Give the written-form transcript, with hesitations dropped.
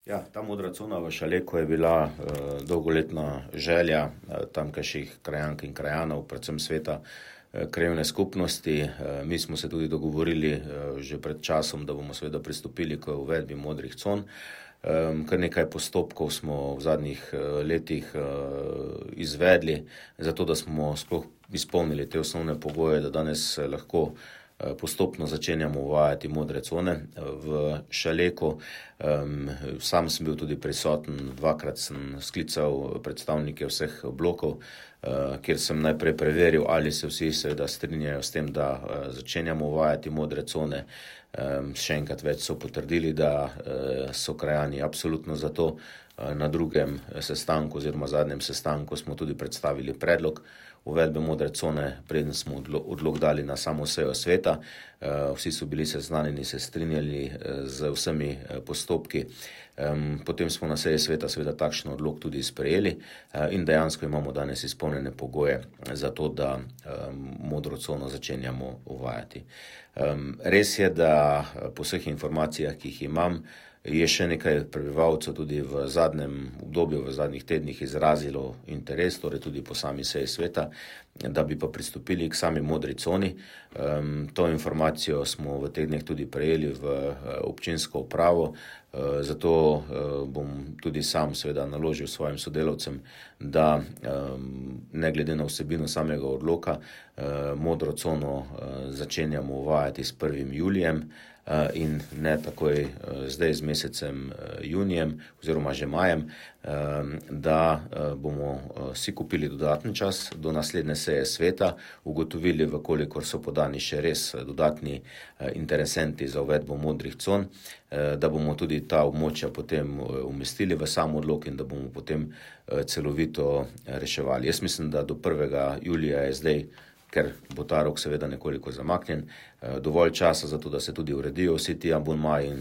Ja, ta modra cona v Šaleku je bila dolgoletna želja tamkajšnjih krajank in krajanov, predvsem sveta krajevne skupnosti. Mi smo se tudi dogovorili že pred časom, da bomo seveda pristopili k uvedbi modrih con. Kar nekaj postopkov smo v zadnjih letih izvedli, zato da smo sploh izpolnili te osnovne pogoje, da danes lahko postopno začenjamo uvajati modre cone v Šaleku. Sam sem bil tudi prisoten, dvakrat sem sklical predstavnike vseh blokov, kjer sem najprej preveril, ali se vsi seveda strinjajo s tem, da začenjamo uvajati modre cone. Še enkrat več so potrdili, da so krajani absolutno za to. Na drugem sestanku oziroma zadnjem sestanku smo tudi predstavili predlog uvedbe modre cone, preden smo odlok dali na samo sejo sveta. Vsi so bili seznanjeni, se strinjali z vsemi postopki. Potem smo na seji sveta seveda takšen odlok tudi sprejeli in dejansko imamo danes izpolnjene pogoje za to, da modro cono začenjamo uvajati. Res je, da po vseh informacijah, ki jih imam, je še nekaj prebivalcev tudi v zadnjem obdobju, v zadnjih tednih izrazilo interes, torej tudi po sami seji sveta, da bi pa pristopili k sami modri coni. To informacijo smo v teh dneh tudi prejeli v občinsko upravo, zato bom tudi sam seveda naložil svojim sodelavcem, da ne glede na vsebino samega odloka modro cono začenjamo uvajati s 1. julijem in ne takoj zdaj z mesecem junijem oziroma že majem, da bomo si kupili dodatni čas do naslednje seje sveta, ugotovili, vkolikor so podani še res dodatni interesenti za uvedbo modrih con, da bomo tudi ta območja potem umestili v sam odlok in da bomo potem celovito reševali. Jaz mislim, da do 1. julija je zdaj, ker bo ta rok seveda nekoliko zamaknjen, dovolj časa za to, da se tudi uredijo vsi ti abonmaji in